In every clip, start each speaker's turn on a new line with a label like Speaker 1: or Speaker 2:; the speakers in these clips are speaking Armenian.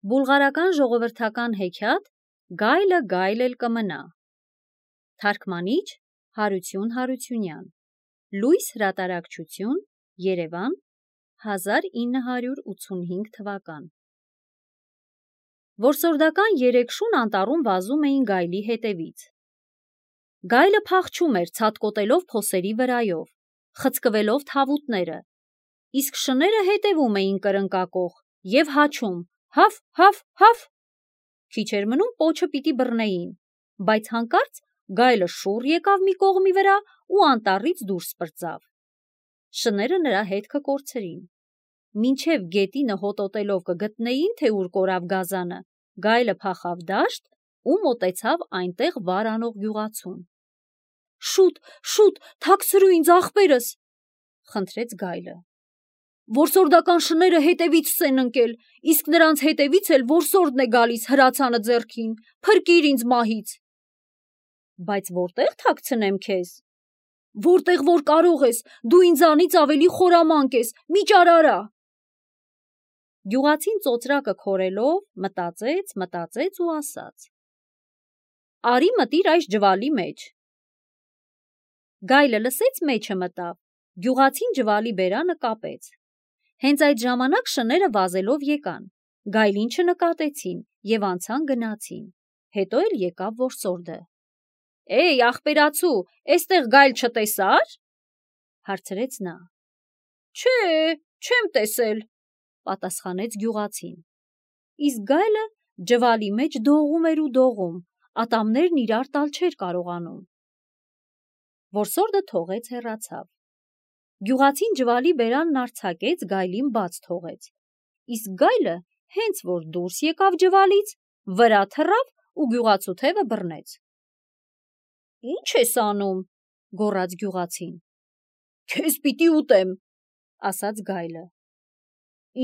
Speaker 1: Բուլղարական ժողովրդական հեքիաթ Գայլը գայլ էլ կմնա։ Թարգմանիչ Հարություն Հարությունյան։ Լույս հրատարակչություն Երևան 1985 թվական։ Որսորդական երեք շուն անտառում վազում էին գայլի հետևից։ Գայլը փախչում էր ցատկոտելով փոսերի վրայով, խցկվելով թավուտները, իսկ շները հետևում էին կրնկակող և հաչում հաֆ, հաֆ, հաֆ։ Քիչ էր մնում պոչը պիտի բռնեին, բայց հանկարծ գայլը շուռ եկավ մի կողմի վրա ու անտառից դուրս պրծավ։ Շները նրա հետքը կորցրին։ Մինչև գետինը հոտոտելով կգտնեին, թե ուր կորավ գազանը, գայլը փախավ դաշտ ու մոտեցավ այնտեղ վար անող գյուղացուն։ Շուտ, շուտ, թաքցրու ինձ ախպերս, խնդրեց գայլը։ Որսորդական շները հետևից են ընկել, իսկ նրանց հետևից էլ որսորդն է գալիս հրացանը ձեռքին, փրկիր ինձ մահից։ Բայց որտեղ թաքցնեմ քեզ։ Որտեղ որ կարող ես, դու ինձանից ավելի խորամանկ ես, մի ճարարա։ Գյուղացին ծոծրակը քորելով մտածեց ու ասաց. Արի մտիր այս ջվալի մեջ։ Գայլը լսեց մեջը մտավ, գյուղացին ջվալի բերանը կապեց։ Հենց այդ ժամանակ շները վազելով եկան, գայլին չնկատեցին և անցան գնացին, հետո էլ եկավ որսորդը։ Էй, ախպերացու, էստեղ գայլ չտեսա՞ր, հարցրեց նա։ Չէ, չեմ տեսել, պատասխանեց գյուղացին։ Իսկ գայլը ջվալի մեջ դողում էր ու դողում, ատամներն իրար տալ չէր կարողանում։ Որսորդը թողեց հեռացավ։ Գյուղացին ջվալի բերանն արձակեց, գայլին բաց թողեց, իսկ գայլը հենց որ դուրս եկավ ջվալից, վրա թռավ ու գյուղացու թևը բռնեց։ Ինչ ես անում, գոռաց գյուղացին։ Քեզ պիտի ուտեմ, ասաց գայլը։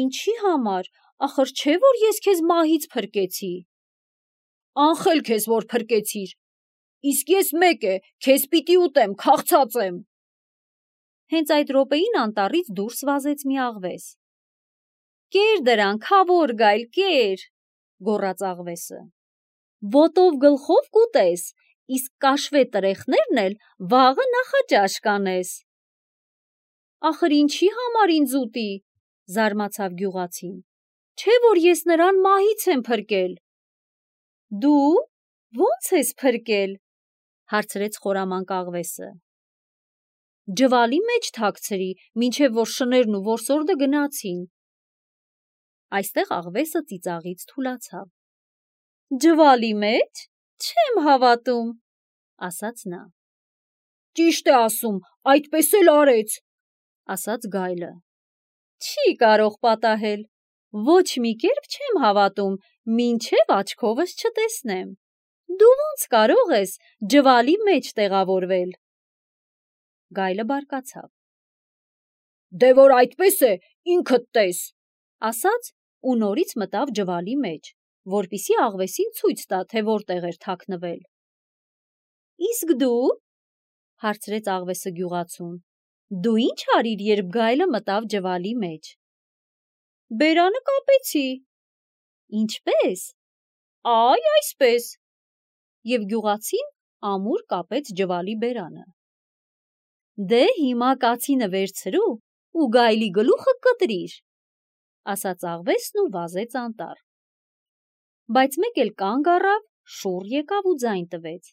Speaker 1: Ինչի համար, ախր չէ որ ես քեզ մահից փրկեցի։ Անխել քեզ որ փրկեցիր, իսկ ես մեկ է, քեզ պիտի ուտեմ, քաղցած եմ։ Հենց այդ րոպեին անտառից դուրս վազեց մի աղվես։ Կեր դրան, քավոր գայլ, կեր, գոռաց աղվեսը։ Ոտով գլխով կուտես, իսկ կաշվե տրեխներն էլ վաղը նախաճաշ կանես։ Ախր ինչի համար ինձ ուտի, զարմացավ գյուղացին, չէ որ ես նրան մահից եմ փրկել։ Դու ո՞նց ես փրկել, հարցրեց խորամանկ աղվեսը։ Ջվալի մեջ թաքցրի, մինչև որ շներն ու որսորդը գնացին։ Այստեղ աղվեսը ծիծաղից թուլացավ։ Ջվալի մեջ, չեմ հավատում, ասաց նա։ Ճիշտ է ասում, այդպես էլ արեց, ասաց գայլը։ Չի կարող պատահել, ոչ մի կերպ չեմ հավատում, մինչև աչքովս չտեսնեմ։ Դու ո՞նց կարող ես ջվալի մեջ տեղավորվել։ Գայլը բարկացավ։ Դե որ այդպես է, ինքդ տես, ասաց ու նորից մտավ ջվալի մեջ, որպեսզի աղվեսին ցույց տա, թե որտեղ էր թաքնվել։ Իսկ դու, հարցրեց աղվեսը գյուղացուն, դու ինչ արիր, երբ գայլը մտավ ջվալի մեջ։ Բերանը կապեցի։ Ինչպե՞ս։ Այ այսպես։ Եվ գյուղացին ամուր կապեց ջվալի բերանը։ Դե հիմա կացինը վերցրու ու գայլի գլուխը կտրիր, ասաց աղվեսն ու վազեց անտառ։ Բայց մեկ էլ կանգ առավ, շուռ եկավ ու ձայն տվեց։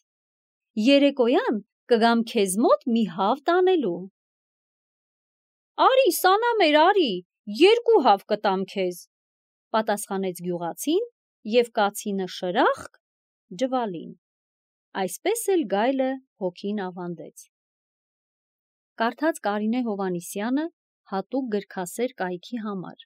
Speaker 1: Երեկոյան կգամ քեզ մոտ մի հավ տանելու։ Արի, սանամեր, արի, 2 հավ կտամ քեզ, պատասխանեց գյուղացին և կացինը շրախկ ջվալին։ Այսպես էլ գայլը հոգին ավանդեց։ Կարդաց Կարինե Հովհաննիսյանը հատուկ գրքասեր կայքի համար։